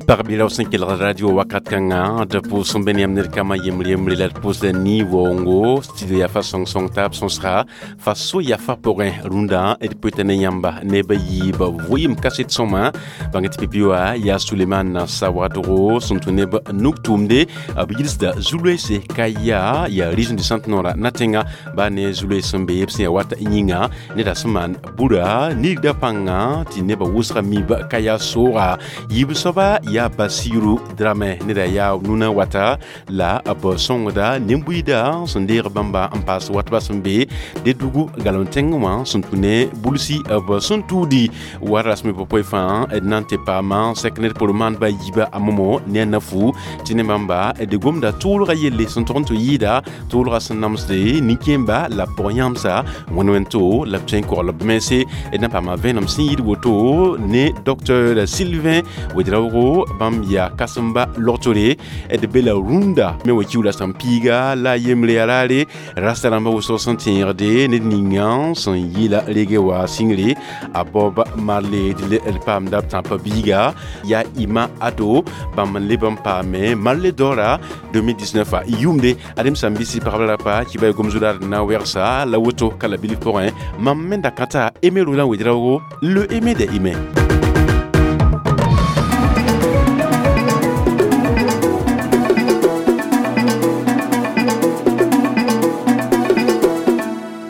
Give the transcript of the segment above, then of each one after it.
Pagb b sẽn kelg radio wakat kãngã d pʋʋs n be ne yãmb ned kambã yembre yembre la d pʋʋsda ni-waoongo studio yaa fa sõng-sõng taab sõsga fa so yafa pʋgẽ rũndã d pʋɩta ne yãmba neb a yiib vɩɩm kaset sõma bãng tɩ pipi wã yaa Suleman Sawadogo sẽn tũ neb nug tʋʋmde b yilsda zu-loeese ka yaa yaa région du centre nord na-tẽnga baa ne zu-loees sẽn be b sẽn yaa wat yĩnga neda sẽn maan bura nigda pãnga tɩ nebã wʋsga mib ka yaa sooga yiib soaba yaa Basiru Dramé neda yaa nuna wata la b sõngda nin-buiida sẽn deeg bãmba n paas watba sẽn be Dedugu galem tẽngẽ wã sẽn tũ ne bulsi b sẽn tuudi wa rasme pʋ fãa d na n tɩ paama sɛk ned por maandba yiiba a momo ne a nafu tɩ ne bãmba d gomda tʋʋlga yelle sẽn tog n tɩ yɩɩda tʋʋlga sẽn namsde nin-kẽemba la pʋg-yãmsa wẽnd wẽn-to la b tõe n kogl b mense d na paama vẽenem sẽn yɩɩd woto ne docteur Sylvain Ouedraogo bãmb yaa kãsemba logtore d be la rũndã me wa kiuula sẽn piiga la a yembre yaa raare rasta rãmbã wʋsg sẽn tẽegde ned ninga sẽn yɩɩla rege wa sĩngre a Bob Marley d paamda b tãpã biiga yaa Ima Ado bãmb n leb n paame Marley Dora 2019 a yʋʋmde adem sãn bɩ pagb rapa kɩ ba gom zu-raad na wɛgsa la woto ka la bilf pʋgẽ mam me da kãta Aimé Roland Ouedraogo le Aimé des Aimés.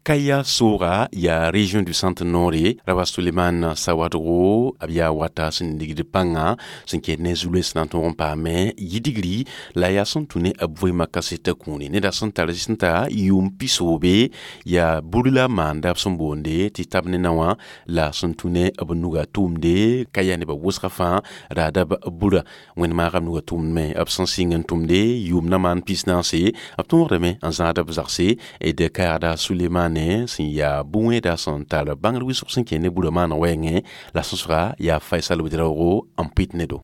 Kaya Sora ya région du centre nord rawa Suleiman Sawadro abia wata sẽn ligd pãnga sẽn ket ne zu-loees na n tõog n paame yidigri la yaa sẽn tũ ne b vɩɩmã kaseta kũuni neda sẽn tar sẽn ta yʋʋm pisoobe yaa bur la maanda b sẽn boonde tɩ tab ne na wã la sẽn tũ ne b nuga tʋʋmde ka yaa nebã wʋsga fãa raada b bura wẽnd maagam nuga tʋʋmd me b sẽn sɩng n tʋmde yʋʋm na maan pis-naase b tõogdame n zãad b zagse d kaagda Sulemane sẽn yaa bũ-wẽeda sẽn tar bãngr wɩsg sẽn kẽ ne burã maana wɛɛngẽ la sõsga yaa Faisal Ouedraogo n pɩt ne do.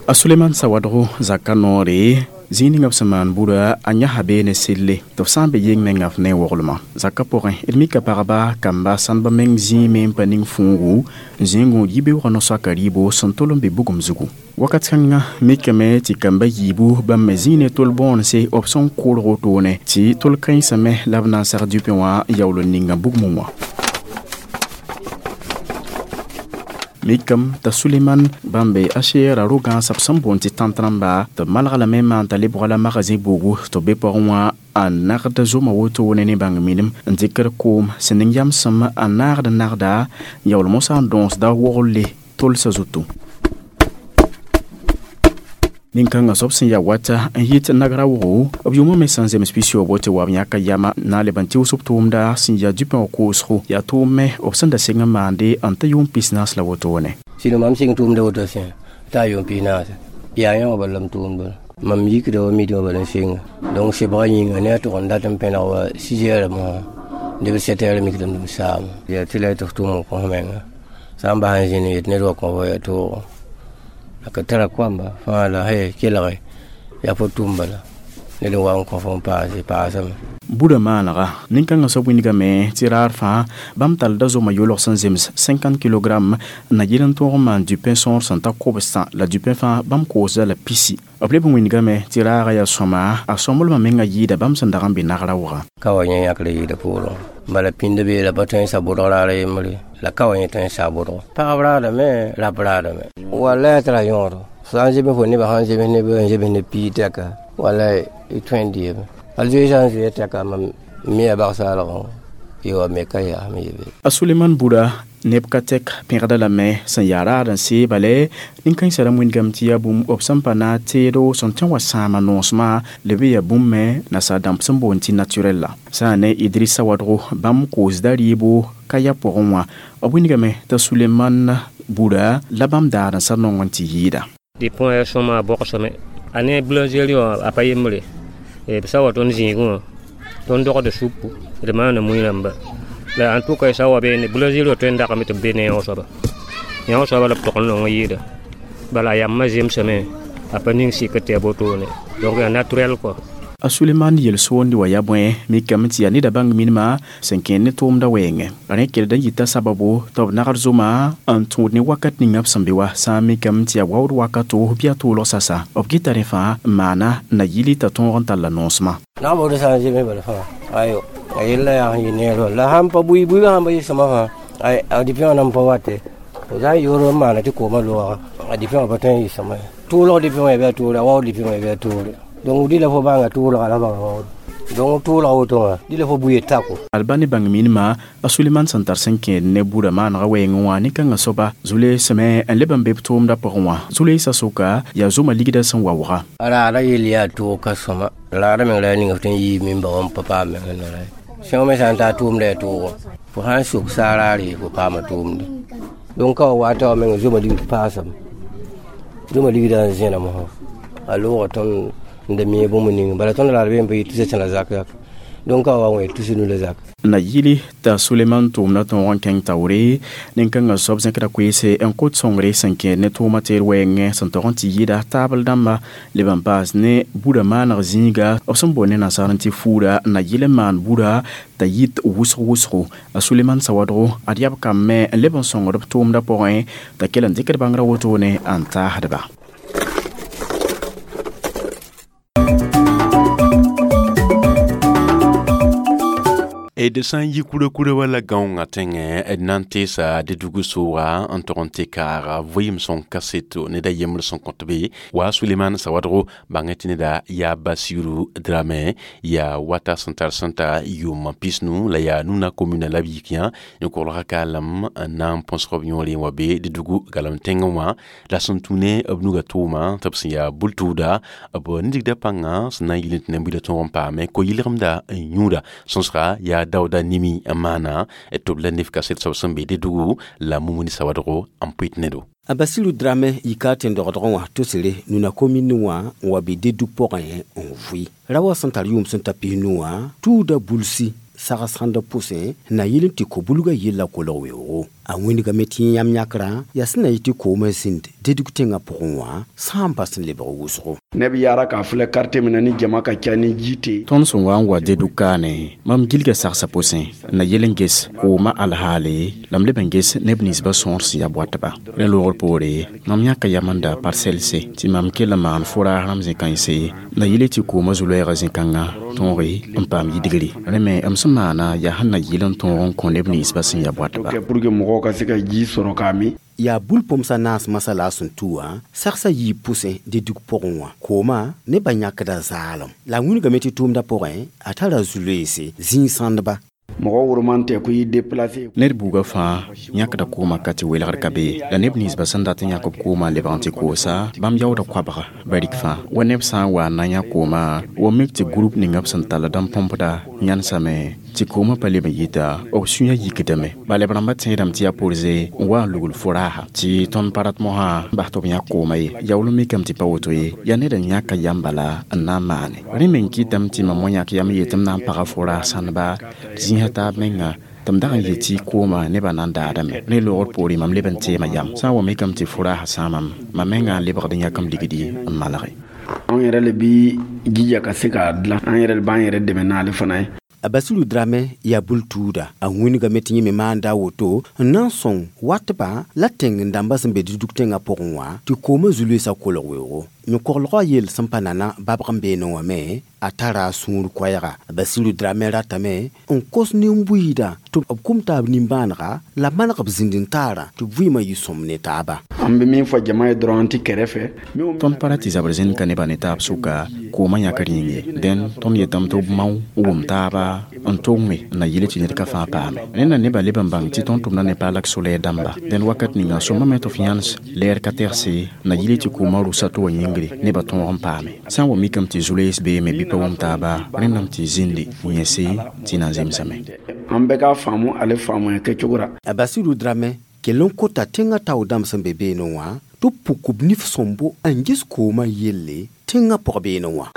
A Suleman Sawadogo zaka noore zĩig ninga b sẽn maan burã a yãsa bee ne selle tɩ b sã n be yeng menga f ne woglmã zakã pʋgẽ d mika pagba kamba sãndb meng zĩime n pa ning fũugu zĩigẽ yibeoogã no-soaka rɩɩbo sẽn tol n be bugum zugu wakat kãngã mikame tɩ kamba yiibu bãmb me zĩig ne tol bõonse b sẽn kʋʋlg wotone tɩ tol kãensame la b na n sag dupẽ wã yaool n ninga bugmẽ wã. Mikam t'a Suleman bãmbe a seera ro-gãasã b sẽn boond tɩ tãnt rãmba tɩ b malg lame n maan t'a lebga la magazẽ buugu tɩ b be pʋgẽ wã a nagd zoma wotone ne bãng minim n dɩkd koom sẽn ning yamsem a naagd nagda yaool mosã n dõosda woglle tolsã zutu. Nin-kãngã soab sẽn yaa wata n yit nagra wʋgo b yʋʋmã me sẽn zems pisoobgo tɩ wa b yãka yama na n leb n tɩʋs b tʋʋmda sẽn yaa dupẽ wã koosgo yaa tʋʋm me b sẽn da seng n maande n ta yʋʋm pis-naas la wotone. Sɩd mam sɩng tʋʋmda woto sẽ t'a yʋʋm pis-naase yaa yẽ wã bala m tʋʋmda mam yikda wa midi wã bala n senga donc sebga yĩnga ne a tʋg n dat n pẽneg wa 6 heures mosã neb 7 heures mikdame tɩ m saama yaa tɩ la y tɩ f tʋʋm n kõ f menga sã n bas n zĩnd n yet ned wa kõ fo yaa toogo ka tara koamba fãa la he kelge yaa fo tʋʋm bala ned n wa n kõ fo n paase paasame. Burã maanega nin-kãngã soab wilgame tɩ raar fãa bãmb tallda zoma yolg sẽn zems 50 kg na yɩl n tõog n maan dupẽ sõor sẽn ta kobsã la dupẽ fãa bãmb koosda la pisi b leb n wilgame tɩ raaga yaa sõma a sõmblmã menga yɩɩda bãmb sẽn dag n be nagra wʋga. Ka wa yẽ yãkr yɩɩda poorẽ bala pĩnda bee la pa tõe n sa bʋdg raara yembre la ka wa yẽ tõe n sa bʋdg pagb raadame rap raadame wala tɩ ra yõodo sã n zems fo nebã sãn zems neb n zems ne pii tɛka wala y tõe n deeme al zoe sã n zoe tɛka mam me ya bagsaalgẽ y wa me ka yaa me yebe. A Suleman bura neb ka tɛk pẽgda lame sẽn yaa raad n see bale nin-kãensã rãmb wĩndgame tɩ yaa bũmb b sẽn pa na teedo sẽn tõe n wa sãama noosmã leb n yaa bũmb me nasaar dãmb sẽn boond tɩ naturel la sã n ne Idrissa Wadgo bãmb koosda rɩɩbo ka ya pʋgẽ wã b wĩndgame t'a Suleman bura la bãmb daar n sa nong n tɩ yɩɩda. Tɩ pʋgẽ yaa sõma a bɔgsame a ne boulangerie wã a pa yembre b sã wa tõnd zĩigẽ wã tõnd dogda supu d maana mui rãmba la en tout cas sã wa beene boulangerie wã tõe n dagame tɩ b be ne yão soaba yão soaba la b tog n nong n yɩɩda bala a yamã zemsame a pa ning sɩkr tɩ yaa botone donc yaa naturel quoi. A Suleman yel-soonde wã yaa bõe mikame tɩ yaa neda bãng minimã sẽn kẽed ne tʋʋmdã wɛɛngẽ. Rẽ kelda n yita sababo tɩ b nagd zoma n tũud ne wakat ninga b sẽn be wa sã n mikame tɩ yaa waood wakato bɩ a toolg sasa b gɩta rẽ fãa n maana na yili t'a tõog n talla noosmã. Na bo de sã n zeme bala fãa ayo a yella yaa sẽn yɩ neer la sãn pa bui buigã sãn pa yɩ sõma fãa ay a dipẽ wã nan pa wate fo sã n yoor n maana tɩ koomã loaga a dipẽ wã pa tõe n yɩ sõma ye tʋʋlg dipẽ wã ya bɩ a toore a waood dipẽ wã ya bɩ a toore donc dɩ la fo bãnga tʋʋlga la bãnga waood donc tʋʋlga woto wã dɩ la fo buye tako. Alba ne bãng minimã a Suleman sẽn tar sẽn kẽed ne buda maanegã wɛɛngẽ wã ne-kãngã soaba zu-leesame n leb n be b tʋʋmdã pʋgẽ wã zu-leesã sʋka yaa zoma ligdã sẽn waooga. Raada yell yaa toog ka sõma raada meng la yaa ninga f tõe n yiib min-ba wã n pa paam meng n ra sõng me sã n taa tʋʋmda yaa toogo fo sã n sok saaraare fo paama tʋʋmde donc ka wa wata wa meng zoma ligd paasame zoma ligdã n zẽna mosã a loogã tõnd n da mi bũmb ning bala tõnd raad be n pa yɩ tusa tẽna zak zak donc ka wa wẽ tus nu la zak. Na yili t'a Suleman tʋʋmdã tõog n kẽng taoore nin-kãngã soab zẽkda koeese n kot sõngre sẽn kẽed ne tʋʋmã teer wɛɛngẽ sẽn tog n tɩ yɩɩda taabl dãmba leb n paas ne buda maaneg zĩiga b sẽn boond ne nasaar n tɩ fuura na yɩl n maan buda t'a yit wʋsg wʋsgo. A Suleman sawadgo ad yaa b kamb me n leb n sõngd b tʋʋmdã pʋgẽ t'a kell n dɩkd bãngrã wotone n taasdba. D sã n yi kura-kura wala gãongã tẽngẽ d na n teesa Dedugu sooga n tog n tɩ kaaga vɩɩm sõng kaseto ned a yembr sẽn kõt be wa Suleman Sawadgo bãngẽ tɩ neda yaa Basiru Dramɛ yaa wata sẽn tar sẽn ta yʋʋm pisnu la yaa Nuna commune la b yik yã n kolga kaalam n na n põsg b yõore n wa be Dedugu galem tẽngẽ wã la sẽn tũ ne b nuga tʋʋma tɩ b sẽn yaa bul-tʋʋda b nidgda pãngã sẽn na n yɩl n tɩ ne-buidã tõog n paame ko-yɩlgemda n yũuda sõsga yaa Dauda Nimi n maana tɩ b la nef kaset soab sẽn be Dedugu la Mumuni Sawadgo n pʋɩt ne-do. A Basiru Dramɛ yika tẽn-dɔgdgẽ wã tosre Nuna commune wã n wa be Dedug pʋgẽ n vʋɩ ra wa sẽn tar yʋʋm sẽn ta pisnu wã tʋʋda bulsi sags-sãndã pʋsẽ na yɩl n tɩ ko-bulgã yella kolg weoogo. A wĩndgame tɩ yẽ yãmb yãkrã yaa sẽn na yɩ tɩ koomã zĩnd Dedug tẽngã pʋgẽ wã sã n bas n lebg wʋsgo. Ne bɛ yaara k'a filɛ quartier min na ni jama ka ca ni ji tɛ yen. Tõnd sẽn wa n wa Dedug kaane mam gilga sagsa pʋsẽ na yel n ges koomã alhaale la m leb n ges neb ninsbã sõor sẽn yaa boatba. Rẽ loogr poore mam yãka yamenda parselse tɩ mam kell n maan fʋraas rãmb zĩ-kãense na yɩle tɩ koomã zu-loɛɛgã zĩ-kãngã tõoge n paam yidgre. Rẽ me m sẽn maana yaa sẽn na yɩl n tõog n kõ neb ninsbã sẽn yaa boatba. Pour que mɔgɔw ka se ka ji sɔrɔ k'a min. Yaa bul-põmsã naas masã la a sẽn tu wã sagsã yiib pʋsẽ Dedug pʋgẽ wã koomã nebã yãkda zaalem la a wĩnigame tɩ tʋʋmdã pʋgẽ a tara zu-loeese zĩig-sãndba. Mɔgɔ woroman tɛ ko i déplacé. Ned buugã fãa yãkda koomã ka tɩ welgr ka be la neb ninsbã sẽn dat n yãk b koomã lebg n tɩ koosa bãmb yaooda koabga barik fãa wa neb sã n wa n na n yã koomã wa mik tɩ group ninga b sẽn tall n põmpda yãnsame tɩ koomã pa leb n yita b sũyã yikdame bala b rãmbã tẽedame tɩ yaa porze n wa n lugl fʋraaha tɩ tõnd pa rat mosã n bas tɩ b yãk koomã ye yaool n mikame tɩ pa woto ye yaa ned n yãka yam bala n na n maane rẽ meng kɩtame tɩ mam wã yãk yam n yetɩ m na n paga fʋraas sãndba zĩisã taab menga tɩ m dag n yetɩ koomã nebã na n daadame rẽ loogr poore mam leb n teema yam sã n wa mikame tɩ fʋraasã sãamam mam menga n lebgd n yãk m ligdi n malge. Anw yɛrɛ le bi jija ka se k'a dilan an yɛrɛ b'an yɛrɛ dɛmɛ n'ale fana ye. A Basiru Dramɛ yaa bul-tuuda a wĩnigame tɩ yẽ me maanda a woto n na n sõng watba la tẽng n dãmbã sẽn be Dedug tẽngã pʋgẽ wã tɩ koomã zu-loeesã kolg weoogo. Yõ-koglgã yell sẽn pa nana babg n beene wã me a tara a sũur koɛɛga. A Basiru Dramɛ ratame n kos nin-buiidã tɩ b kum taab nimbãanega la maneg b zĩnd-n-taarã tɩ vɩɩmã yɩ sõm ne taaba. An bɛ min fɔ jama ye dɔrɔn an tɛ kɛrɛfɛ. Tõnd pa ra tɩ zabr zĩnd ka nebã ne taab sʋka koomã yãkr yĩng ye dẽn tõnd yetame tɩ b mao n wʋm taaba n tʋng na yɩl tɩ ned ka fãa paame. Rẽnda nebã leb n bãng tɩ tõnd tʋmda ne paalak so-lɛɛr dãmba dẽn wakat ninga sõmame tɩ f yãns lɛɛr ka tɛgse na yɩl tɩ koomã rʋsa tɩ wa yĩngre nebã tõog n paame. Sã n wa mikame tɩ zu-loees beeme bɩ pa wʋm taaba rẽndame tɩ zĩndi yẽse tɩ na n zemsame. An bɛɛ k'a faamu ale faamuya kɛcogo ra. A Basiru Dramɛ kell n kota tẽngã tao dãmb sẽn be beene wã tɩ b puk b nif sõmbo n ges koomã yelle tẽngã pʋg beene wã.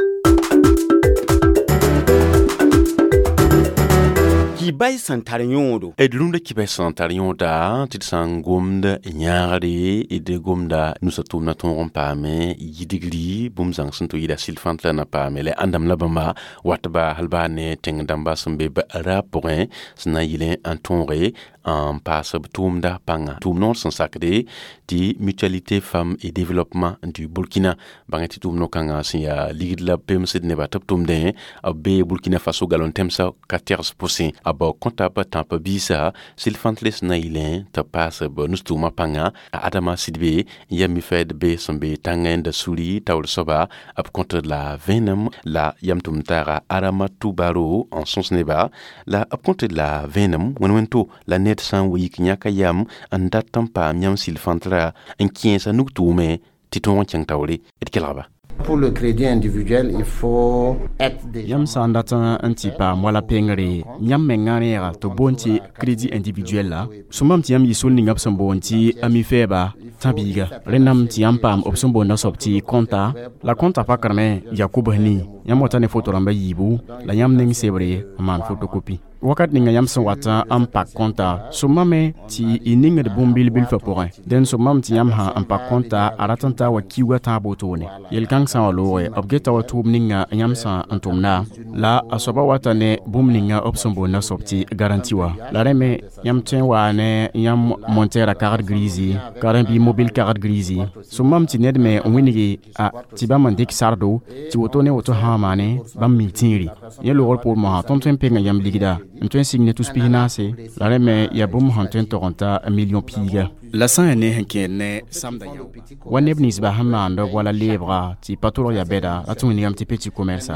Kibay sẽn tar yõodo. D rũndã kibay sẽn tar yõoda tɩ d sã n gomd yãagre, d gomda nusa tʋʋmdã tõog n paame yidgri bũmb zãng sẽn tɩ yɩɩda sɩl-fãnt la na paame la ãndame la bãmba watba hal baa ne tẽng dãmba sẽn be raab pʋgẽ sẽn na n yɩlẽ n tõoge n paas b tʋʋmda pãnga tʋʋm noor sẽn sakde tɩ Mutualité Femmes et Développement du Burkina. Bãngẽ tɩ tʋʋm no-kãngã sẽn yaa ligd la b pemsd nebã tɩ b tʋmdẽ b bee Burkina Faso galon tẽmsã 14 pʋsẽ b kõta b tãp biisa sɩl-fãntle sẽn na yɩlẽ tɩ b paas b nus-tʋʋmã pãnga. Adama Sidbe n yaa mi-fɛɛd be sẽn be tãngẽ da suri taoor soaba b kõt la vẽenem la yam tʋm-taaga Aramatu Baro n sõs neba la b kõt la vẽenem wẽn-wẽn-to la ned sã n wa yik yãka yam n dat n paam yãmb sɩl-fãntra n kẽesa nug-tʋʋme tɩ tõog n kẽng taoore d kelgba. Pour le crédit individuel, il faut être déjà. Yãmb sã n dat n tɩ paam wala pengre, yãmb mengã reega tɩ b boond tɩ crédit individuel la sõmam tɩ yãmb yɩ sol ninga b sẽn boond tɩ ami-fɛɛba tã-biiga. Rẽndame tɩ yãmb paam b sẽn boonda soab tɩ kõnta la kõnta pakrame yaa kobs nii yãmb wata ne foto rãmba yiibu la yãmb neng sebre n maan fotokopi. Wakat ninga yãmb sẽn wat n pak kõnta sõmame tɩ y ningd bũmb bil-bilfã pʋgẽ. Dẽn sõmame tɩ yãmb sã n pak kõnta a rat n taa wa kiuugã tãab wotone. Yel-kãng sã n wa looge b geta wa tʋʋm ninga yãmb sã n tʋmda la a soaba wata ne bũmb ninga b sẽn boonda soab tɩ garanti wa. La rẽ me yãmb tõe n waa ne yãmb montɛɛrã kagd grisi karen-bɩ mobil kagd grisi sõmame tɩ ned me n wĩnge a tɩ bãmb n dɩk sardo tɩ woto ne woto sã n maane bãmb mi tẽere. Yẽ loogr poor mosã tõnd tõe n penga yãmb ligda n tõe n sig ne tus pis-naase la rẽ me yaa bũmb sẽn tõe n tog n ta million piiga. La sã n yaa ne sẽn kẽed ne samda yao wa neb ninsba sẽn maand b wala leebga tɩ pa tʋlg yaa bɛda la tɩ wĩnigame tɩ petit commerce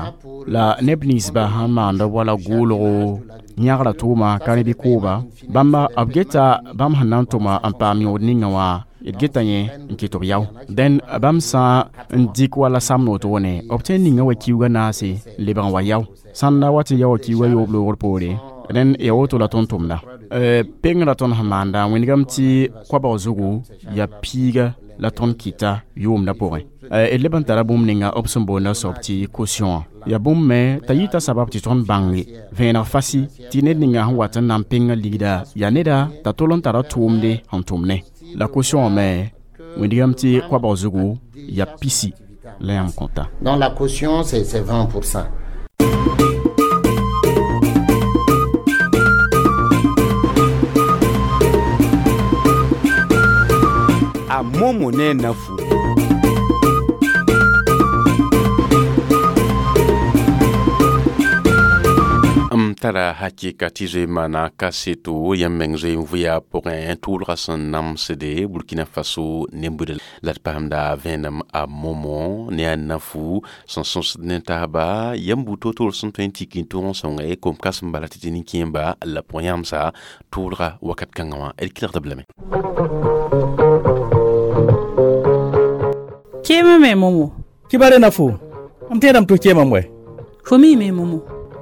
la neb ninsba sẽn maand b wala goolgo yãgra tʋʋma ka rẽ bɩ kooba bãmba b geta bãmb sẽn na n tʋma n paam yõod ninga wã d geta yẽ n kɩt b yao. Dẽn bãmb sã n dɩk wala samd wotone b tõe n ninga wa kiuugã naase n lebg n wa yao sãn da wa tɩ yao wa kiuugã yoob loogr poore rẽnd yaa woto la tõnd tʋmda. Pengrã tõnd sẽn maanda wĩnigame tɩ koabg zugu yaa piiga la tõnd kɩta yʋʋmdã pʋgẽ. D leb n tara bũmb ninga b sẽn boonda soab tɩ caution wã yaa bũmb me t'a yita sabab tɩ tõnd bãnge vẽeneg fasi tɩ ned ninga sẽn wat n na n penga ligda yaa neda t'a tol n tara tʋʋmde sẽn tʋm ne. La caution wã me wĩnigame tɩ koabg zugu yaa pisi la yãmb kõta. Donc la caution, c'est 20%. A momo ne nafu. M tara hakɩka tɩ zoe maana kaseto yãmb meng zoe n vʋya pʋgẽ tʋʋlgã sẽn namsde Burkina Faso nembuda la d paamda vẽenem a momo ne a nafu sẽn sõsd ne taaba yãmb buud toor-toor sẽn tõe n tik n tʋg n sõnge kom-kasem bala tɩ tɩ nin-kẽemba la pʋgẽ yãmsa tʋʋlga wakat kãngã wã d kelgd b lame. Kẽema me momo. Kibare nafu. Am tẽedame tɩ f keemame wɛ? Fo mi me momo.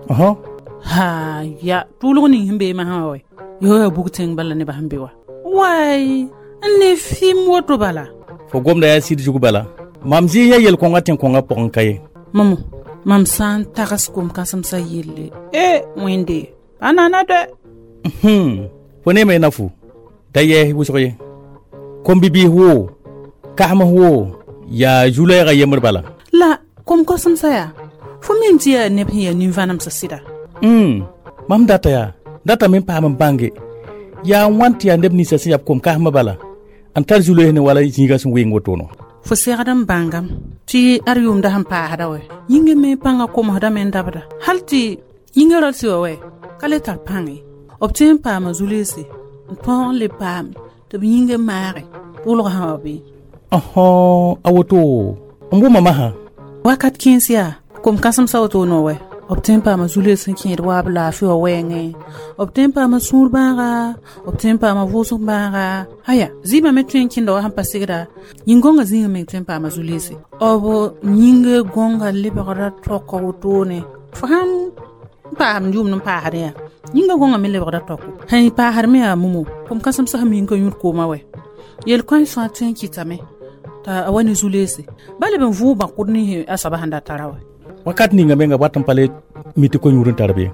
Ɔhɔ. Ha ya tʋʋlg ning sẽn bee masã wã wɛ yo ya bug tẽng bala nebã sẽn be wa waay n ne fɩɩm woto bala. Fo gomda yaa sɩd zug bala mam zɩɩ ya yel-kõngã tẽn-kõngã pʋgẽ ka ye. Momo mam sã n tags kom-kãsemsã yelle e wẽnde a nana dɛ. Fo neeme nafu da yɛɛs wʋsg ye kom-bibiis woo kasms woo yaa zu-lɛɛgã yembr bala. La kom-kãsemsã yaa fo mim tɩ yaa neb sẽn yaa nin-vãnemsã sɩda. Mam data yaa datame n paam n bãnge yaa wãn tɩ yaa neb ninsã sẽn yaa b kom-kasmã bala n tar zu-loees ne wala zĩigã sẽn weng wotone. Fo segd n bãngame tɩ ad yʋʋmda sẽn paasda wɛ yĩngã me pãngã komsdame n dabda hal tɩ yĩngã ra tɩ wa wɛ ka le tar pãng ye b tõe n paama zu-leese n tõog n le paam tɩ b yĩngã maage tʋʋlg sã wa bee. Ɔhɔ a woto n wʋma masã. Wakat kẽens yaa kom-kãsemsã wotone wɛ b tõe n paama zu-lees sẽn kẽed waab laafɩ wã wɛɛngẽ b tõe n paama sũur bãaga b tõe n paama vʋʋsg bãaga aya zɩɩbã me tõe n kẽnda wa sẽn pa segda yĩn-gõngã zĩigã meng tõe n paama zu-leese b yĩnga gõnga lebgra tɔka wotone fo sãn paasd yʋʋmd n paasd yaa yĩnga gõngã me lebgra tɔko sẽn paasd me yaa momo kom-kãsemsã sẽn ming ka yũud koomã wɛ yel-kãens fãa tõe n kɩtame t'a wa ne zu-leese ba leb n vʋʋg bãkʋd nins a soaba sẽn da tara wɛ. Wakat ninga menga wat n pa le mi tɩ ko-yũud n tar be.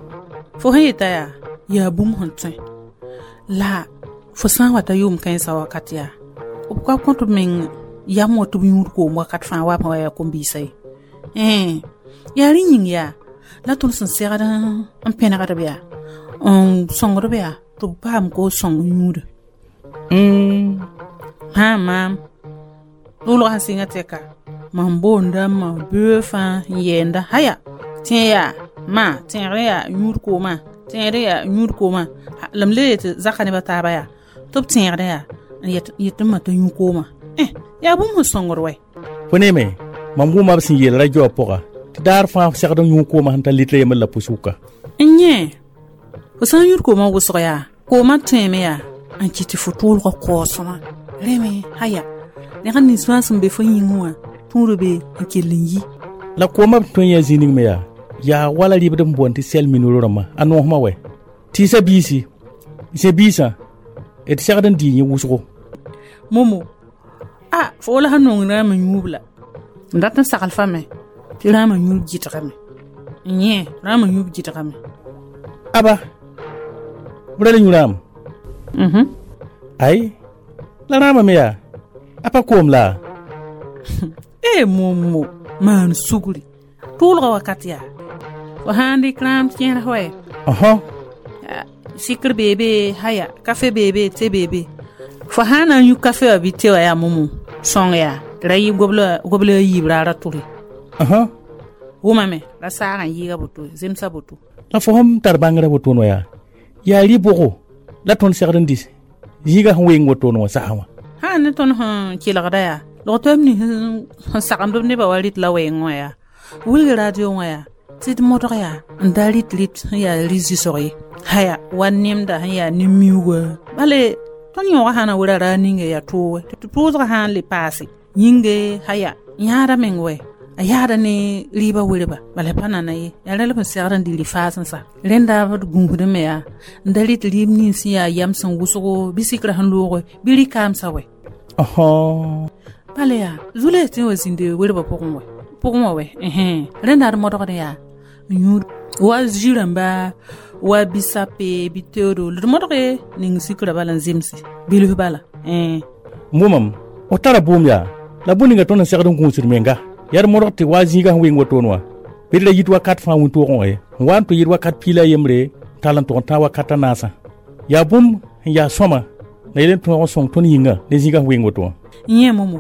Fo sẽn yeta yaa Yaa bũmb sẽn tõe la fo sã n wa ta yʋʋm kãensã wakat yaa b ka kõt b meng yam wã tɩ b yũud koom wakat fãa wa b sẽn wa yaa kom-biisã ye. Yaa rẽ yĩng yaa la tõnd sẽn segd n pẽnegd b yaa n sõngd b yaa tɩ b paam ko sõng yũuda. Hã maam tʋʋlgã sẽn sɩngã tɛka mam boonda ma böö fãa n yɛɛnda haya tẽ yaa ma tẽegr yaa yũud koomã tẽegr yaa yũud koomã la m le yetɩ zaka nebã taaba yaa tɩ b tẽegd yaa n yetɩ ma t'a yũ koomã yaa bũmb sẽn sõngd wɛ. Fo neeme mam wʋma b sẽn yeel radio wã pʋga tɩ daar fãa segd n yũ koomã sẽn ta litre yembr la pʋsʋka. N yẽ fo sã n yũud koomã wʋsg yaa koomã tõeme yaa n kɩt tɩ fo tʋʋlgã kaoosmã rẽ me haya neg nins fãa sẽn be fo yĩngẽ wã tũud be n kell n yi. La koomã b tõe yã zĩ ning me yaa yaa wala rɩbd n boond tɩ sɛl minuro rãmbã a noosmã wɛ tɩɩsa biisi zẽ biisã d segd n dii yẽ wʋsgo. Momo a fo wala sẽn nong rãamã yũub la m dat n sagl fame tɩ rãamã yũub gɩdgame n yẽ rãamã yũub gɩdgame. Aba b ra la yũ rãam ay la rãamã me yaa a pa koom la. E momo maan sugri tʋʋlgã wakat yaa fo sãn dɩk rãam kẽer wɛ sikr beebe haya kafe beebe te beebe fo sãn na n yũ kafe wã bɩ te wã yaa momo sõng yaa tɩ ra yɩ gobla a yiib raara tʋre. Wʋmame la saag n yɩɩga boto zemsa boto. La fo sẽn tar bãngrã wotone wã yaa yaa rɩ-bʋgo la tõnd segd n dɩs zĩigã sẽn weng wotone wã sasa wã. Sã ne tõnd sẽn kelgda yaa log-toɛm nins sẽn sagemd b nebã wa rɩt la wɛɛngẽ wã yaa wilg radio wã yaa tɩ d modg yaa n da rɩt rɩt sẽn yaa rɩ-zɩsg ye haya wa nemda sẽn yaa nin-miuuga bale tõnd yõogã sã na wera raar ninga yaa tooge tɩ tʋʋsgã sã n le paase yĩnge haya yãada meng wɛ a yaada ne rɩɩbã werba bala pa nana ye yaa rã la b sẽn segd n dɩ rɩ-faas n sa rẽnda b gũusdme me yaa n da rɩt rɩɩb nins sẽn yaa yam sẽn wʋsgo bɩ sikrã sẽn looge bɩ rɩ-kaamsã wɛ. Bala yaa zu-loees tɩ n wa zĩnd werbã pʋgẽ wɛ pʋgẽ wã wɛ rẽnda d modgd yaa n yũud wa zĩ-rãmba wa bisape bɩ teoodo la d modge ning sikrã bala n zemse bilf bala. N wʋmam f tara bʋʋm yaa la bũmb ninga tõnd n segd n gũusd menga yaa d modg tɩ wa zĩigã sẽn weng wotone wã bɩ d ra yit wakat fãa wĩntoogẽ wã ye n wa n tɩ yit wakat piila yembre tall n tʋg n tãag wakat a naasã yaa bũmb sẽn yaa sõma la yel n tõog n sõng tõnd yĩnga ne zĩigã sẽn weng woto wã. Yẽ momo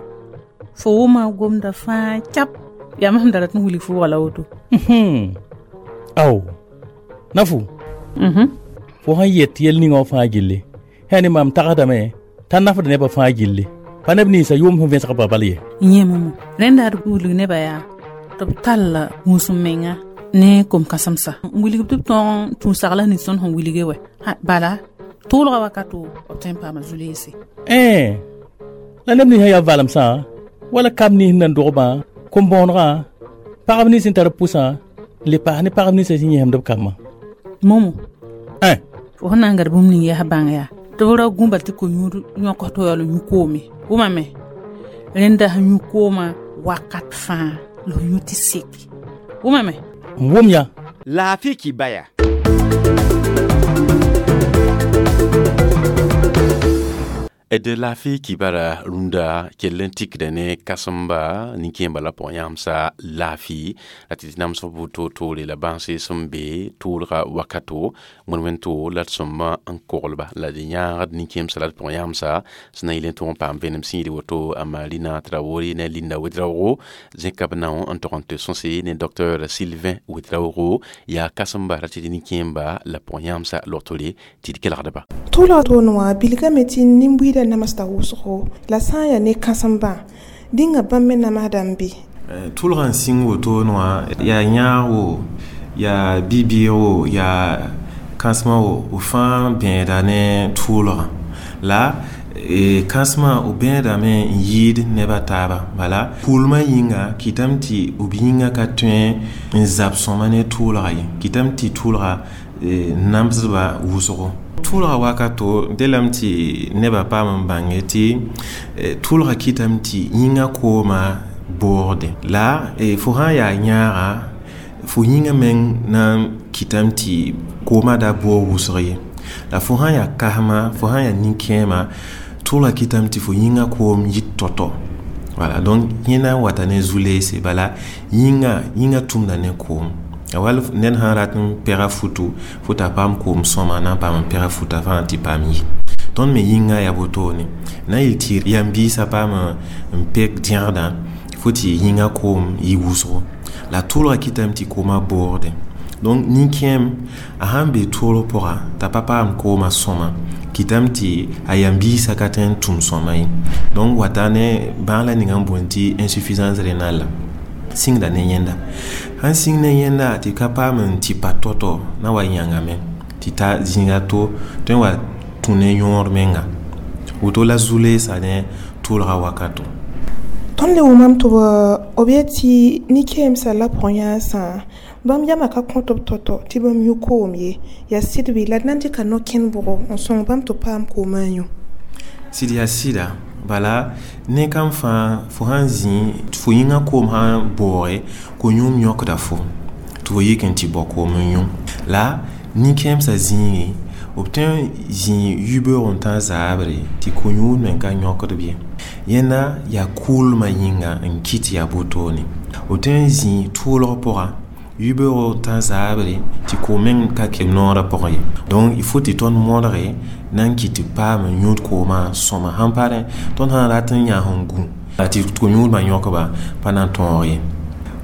fo wʋma gomda fãa cap yaa mam sẽn da rat n wilg fʋʋga la woto. Ao nafu fo sẽn yet yel ninga wã fãa gilli sã ne mam tagsdame t'a nafd nebã fãa gilli pa neb ninsã yʋʋm sẽn vẽsg ba bal ye. Yẽ momo rẽnda d wilg nebã yaa tɩ b tall gũus n menga ne kom-kãsemsa n wilg tɩ b tõog tũ sagla nins tõnd sẽn wilge wɛ bala tʋʋlgã wakato b tõe n paama zu-leese. La neb nins sẽn yaa valemsã wala kamb nins nan dogbã kom-bõonegã pagb nins sẽn tar pʋsã n le paas ne pagb ninsã sẽn yẽsemd b kambã. Momo fo sẽn na n gad bũmb ning yaa bãng yaa tɩ b ra gũ bal tɩ ko-yũud yõk tɩ yaool n yũ koome wʋmame rẽnda sẽn yũ koomã wakat fãa la f yũ tɩ seke wʋmame. N wʋm yã. Laafɩ kibaya. D laafɩ kibara rũndã kell n tikda ne kãsemba nin-kẽembã la pʋgẽ yãmsa laafɩ la tɩ tɩ namsg buud toor-toore la bãnse sẽn be tʋʋlga wakato wẽn-wẽn-to la d sõmba n koglba la d yãagd nin-kẽemsã la d pʋgẽ yãmsa sẽn na yɩl n tõog n paam vẽenem sĩiri woto a Marina Traoré ne Linda Ouedraogo zẽka b nao n tog n tɩ sõse ne Dr Sylvain Ouedraogo yaa kãsemba ra tɩ d nin-kẽemba la pʋgẽ yãmsa logtore tɩ d kelgdba. Tʋʋlga toon wã bilgame tɩ nin-buiidã namsda wʋsgo la sã n yaa ne kãsembã dĩnga bãmb me namsda n be. Tʋʋlgã n sĩng wotone wã yaa yãag-wo yaa bi-bɩɩg-wo yaa kãsmã wo b fãa bẽeda ne tʋʋlgã la kãsmã b bẽedame n yɩɩd neb a taaba bala pʋʋlmã yĩnga kɩtame tɩ b yĩngã ka tõe n zab sõma ne tʋʋlga ye kɩtame tɩ tʋʋlga namsdba wʋsgo. Tʋʋlga wakato delame tɩ nebã paam n bãnge tɩ tʋʋlga kɩtame tɩ yĩngã koomã boogde la fo sã n yaa yãaga Fo yĩngã meng na n kɩtame tɩ koomã da boog wʋsg ye. La fo sã n yaa kasma, fo sã n yaa nin-kẽema, tʋʋlga kɩtame tɩ fo yĩngã koom yit tao-tao. Voilà, donc yẽ na n wata ne zu-leese, bala yĩngã tʋmda ne koom. A wall ned sã n rat n pɛga futu, fo t'a paam koom sõma na n paam n pɛga futa fãa tɩ paam yi. Tõnd me yĩngã yaa wotone. Na n yeel tɩ yam-biisã paam n pek dẽgdã, fo tɩ yĩngã koom yɩ wʋsgo. La tʋʋlga kɩtame tɩ koomã boogdẽ. Donc nin-kẽem a sãn n be toolg pʋga t'a pa paam koomã sõma, kɩtame tɩ a yam-biisã ka tõe n tʋm sõma ye. Donc wata ne bãag la ninga n boond tɩ insuffisance rénale la. Sĩngda ne yẽnda. Sãn sĩng ne yẽnda tɩ ka paam n tɩ pa tao-tao na wa yãngame tɩ ta zĩiga to tõe n wa tũ ne yõod menga. Woto la zu-leesã ne tʋʋlga wakato. Tõnd le wʋmame tɩ b yet tɩ nin-kẽemsã la pʋgẽ-yãasã bãmb yamã ka kõt b tao-tao tɩ bãmb yũ koom ye. Yaa sɩd bɩ la d na n dɩka no-kẽnd bʋgo n sõng bãmb tɩ b paam koomã n yũ? Sɩd yaa sɩda. Bala ne kam fãa fo sãn zĩ fo yĩngã koom sã n booge ko-yũum yõkda fo tɩ fo yik n tɩ bao koom n yũ. La nin-kẽemsã zĩigẽ b tõe n zĩ yibeoog n tã zaabre tɩ ko-yũud me ka yõkd b ye. Yẽnda yaa kʋʋlmã yĩnga n kɩt yaa wotone. B tõe n zĩ tʋʋlg pʋga yibeoog n tã zaabre tɩ koom meng ka kɛ noorã pʋgẽ ye. Donc il faut tɩ tõnd modge na n kɩt tɩ paam n yũud koomã sõma. Sãn pa rẽ tõnd sã n rat n yãs n gũ tɩ ko-yũudmã yõkba pa na n tõog ye.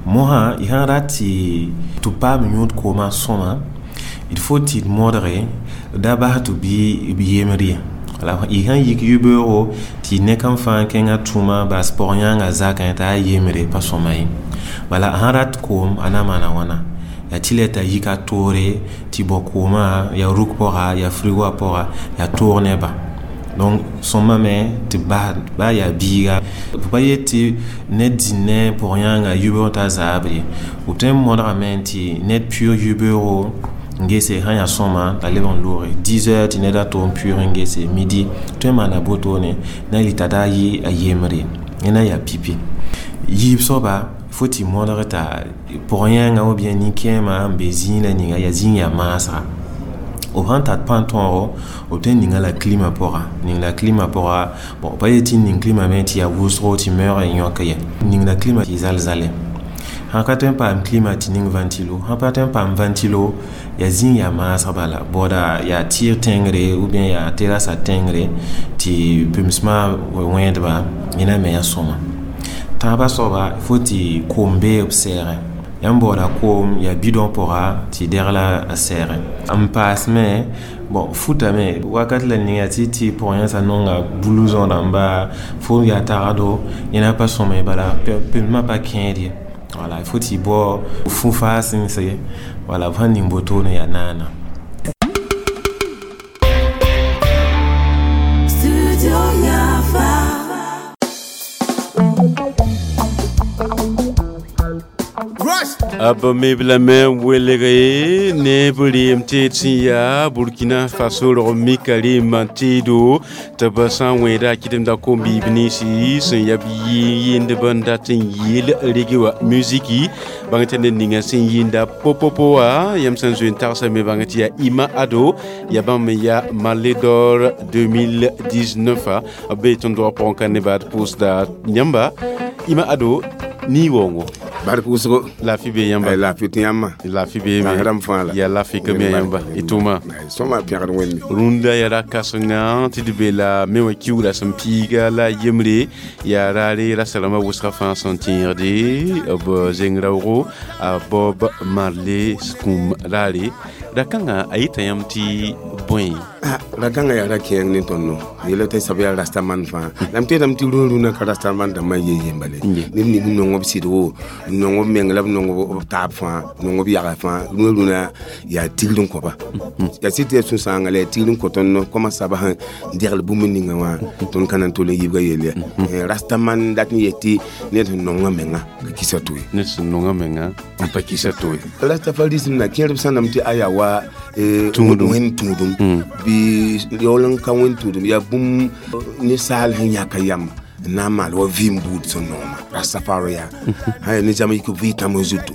Mosã y sã n rat tɩ paam n yũud koomã sõma, il faut tɩ d modge da bas tɩ bɩ b yemd ye. La y sãn yik yibeoogo tɩ ne kam fãa kẽngã tũma bas pɔg-yãangã zakẽ t'a yaa yembre pa sõma ye. Bala sãn rat koom a na maana wãna? Yaa tɩ la t'a yik a toore tɩ bao koomã yaa ruk pʋga yaa frigoã pʋga yaa toog neba. Donc sõma me tɩ bas ba yaa biiga. B pa yet tɩ ned zĩnd ne pɔg-yãangã yibeoog t'a zaabre ye. B tõe n modgame tɩ ned pʋʋg yibeoogo n gese sã n yaa sõma t'a leb n looge 10 heures tɩ ned a to n pʋʋg n gese midi tõe n maana wotone na yɩl t'a da yɩ a yembre. Yẽ na yaa pipi. Yiib soaba fo tɩ modg t'a pɔg-yãangã ou bien nin-kẽemã n be zĩig la ninga yaa zĩig yaa maasga. B sãn tar pãn-tõogo b tõe n ninga la klima pʋga. Ning la klima pʋga, bon pa yet tɩ ning klima me tɩ yaa wʋsgo tɩ meoog n yõk ye. Ning la klima tɩ zal-zale. Sãn ka tõe n paam klima tɩ ning ventilo, sãn pa tõe n paam ventilo yaa zĩig yaa maasg bala baooda yaa tɩɩg tẽngre ou bien yaa terrassa tẽngre tɩ pemsmã wẽedba yẽna me yaa sõma. Tãabã soaba fo tɩ koom bee b sɛɛgẽ. Yãmb baooda koom yaa bidon pʋga tɩ degla a sɛɛgẽ. N paas me bon futame wakat la ninga tɩ tɩ pʋg-yãsã nonga blouson rãmba fo yaa tagado yẽna pa sõma ye bala pemsmã pa kẽed ye. Voilà, il faut tɩ bao fu-faa sẽnse, voilà, b sãn ning wotone yaa naana. B meb lame n welge ne b reem teed sẽn yaa Burkina Faso rog mika reembã teedo tɩ b sã n wẽeda a kɩdemda kom-biib ninsi sẽn yaa b yɩɩndb n dat n yeel rege wã musiki bãng tɩ ned ninga sẽn yɩɩnda popopo wã yãmb sẽn zoe n tagsame bãng tɩ yaa Ima Ado yaa bãmb me yaa Marley d'or 2019 b bee tõnd dɔg pʋgẽ ka nebã d pʋʋsda yãmba Ima Ado nii waoongo. Bar pʋʋsgo. Laafɩ bee yãmba? Laafɩ tɩ yãmba. Laafɩ bee me. Rãmb fãa la. Yaa laafɩ ka me yãmba. Y tʋʋma. Sõma pẽgd Wẽnde. Rũndã yaa ra-kãsenga tɩ d be la me wã kiuugrã sẽn piiga la yembre yaa raare rasa-rãmbã wʋsgã fãa sẽn tẽegde b zeng raoogo a Bob Marley kũum raare. Ra-kãngã a yeta yãmb tɩ bõe? Ra-kãngã yaa ra-kẽeng ne tõndo. Yela tɩ sab yaa rastaman fãa. La m teedame tɩ rũn-rũnã ka rastaman dãmbã ye yembale. Neb ning n nong b sɩdgo, n nong b meng la b nong b taab fãa, nong b yaga fãa. Rũn-rũnã yaa tigr n kõ-ba. Yaa sɩd tɩ yaa sũ-sãanga la yaa tigr n kõ tõnd kõma sabs n degl bũmb ninga wã tõnd ka na n tol n yibga yelle. Rastaman dat n yet tɩ ned sẽn nonga menga ka kisa to ye. Ned sẽn nonga menga n pa kisa to ye. Rastafarism na kẽerb sãnam tɩ a yaa wa wẽnd tũudum bɩ yaool n ka wẽnd tũudum yaa bũmb ninsaal sẽn yãka yam n na n maal wa vɩɩm buud sẽn nooma Rastafari yaa sã yaa ne zãm yik vɩ tãmb zutu.